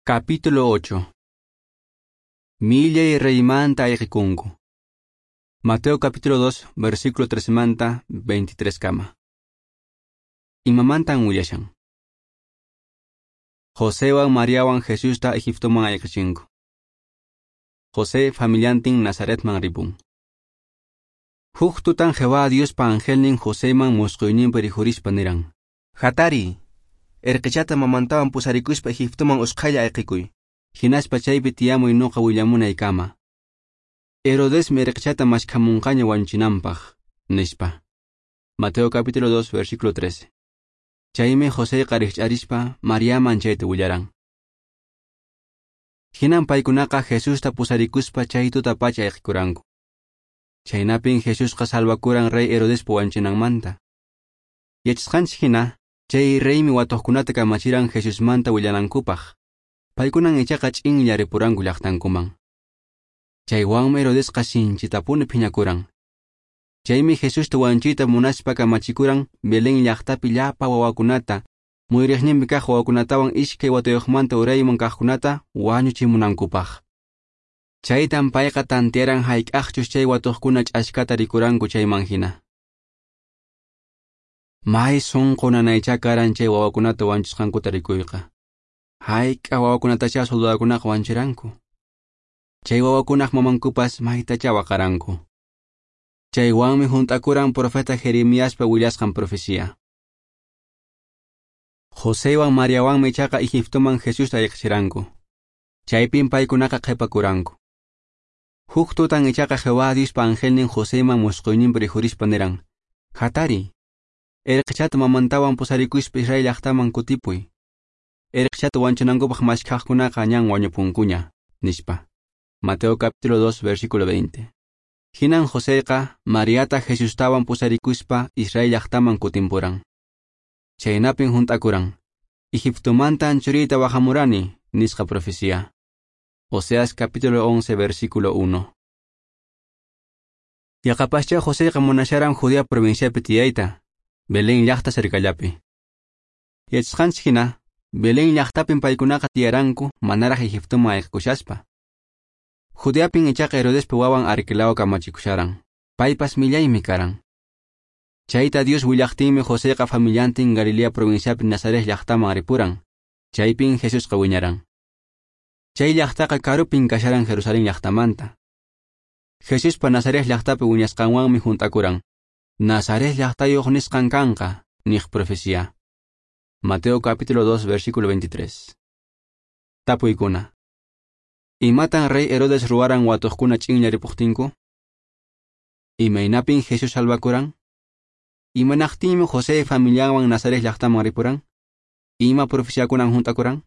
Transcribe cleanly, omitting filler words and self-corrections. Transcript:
Capítulo 8. Millay reymanta ayqikunku. Mateo capítulo 2, versículo 13 manta 23 kama. Imamantan willashan. Josewan Mariawan Jesusta Egiptoman ayqichinku. José familiantin Nazaretman ripun. Huk tutan Jehová Diospa angelnin Joseman musquyninpi rikhurispa niran: Hatari, erqichata mamantawan pusarikuspa Egiptoman usqhaylla ayqikuy. Hinaspa chaypi tiyamuy nuqa willamunaykama. Herodesmi erqichata maskhamunqaña wañuchinanpaq, nispa. Mateo capítulo 2, versículo 13. Chaymi Joséqa rikch'arispa Mariaman chayta willaran. Hinan paykunaqa Jesusta pusarikuspa chay tutapacha ayqikuranku. Chaynapin Jesusqa salvakuran rey Herodespa wañuchinanmanta. Yachasqanchik hina, chay reymi watuqkunata kamachiran Jesusmanta willanankupaq. Paykunan ichaqa ch'inlla ripuranku llaqtankuman. Chaywanmi Herodesqa sinchitapuni phiñakuran. Chaymi Jesusta wañuchiyta munaspa kamachikuran Belén llaqtapi llapa wawakunata, muyriqninpi kaq wawakunatawan iskay watayuqmanta urayman kaqkunata wañuchimunankupaq. Chaytan payqa tantearan hayk'aqchus chay watuqkuna ch'askata rikuranku chayman hina. May sunqu nanaychá karan chay wawakunata wañuchisqankuta rikuyqa. Hayk'a wawakunatachá soldadukunaqa wañuchiranku. Chay wawakunaq mamankupas maytachá waqaranku. Chaywanmi hunt'akuran profeta Jeremiaspa willasqan profecía. Josewan Mariawanmi ichaqa Egiptoman Jesusta ayqichiranku. Chaypin paykunaqa qhipakuranku. Huk tutan ichaqa Jehová Diospa angelnin Joseman musquyninpi rikhurispa niran: Hatari, erqichata mamantawan pusarikuspa Israel llaqtaman kutipuy. Erqichata wañuchinankupaq maskhaqkunaqa ñan wañupunkuña, nispa. Mateo capítulo 2, versículo 20. Hinan Joseqa Mariata Jesustawan pusarikuspa Israel llaqtaman kutimpuran. Chaynapin hunt'akuran: Egiptomantan churiyta wajamurani, nisqa profecía. Oseas capítulo 11, versículo 1. Yaqapascha Joseqa munasharan Judea provinciapi tiyayta, Belén llaqta cercallapi. Yachasqanchik hina, Belén llaqtapin paykunaqa tiyaranku manaraq Egiptoman ayqikushaspa. Judeapin ichaqa Herodespa wawan Arquelao kamachikusharan. Paypas millaymi karan. Chayta Dios willaqtinmi Joseqa familiantin Galilea provinciapi Nazaret llaqtaman ripuran. Chaypin Jesusqa wiñaran. Chay llaqtaqa karupin kasharan Jerusalén llaqtamanta. Jesuspa Nazaret llaqtapi wiñasqanwanmi hunt'akuran. Nazaret llaqtayuq nisqan kanqa, niq profecía. Mateo capítulo 2, versículo 23. Tapuykuna. Imatan rey Herodes ruwaran watuqkuna ch'inlla ripuqtinku? Imaynapin Jesús salvakuran? Imanaqtinmi José familianwan Nazaret llaqtaman ripuran? Ima profeciakunan hunt'akuran?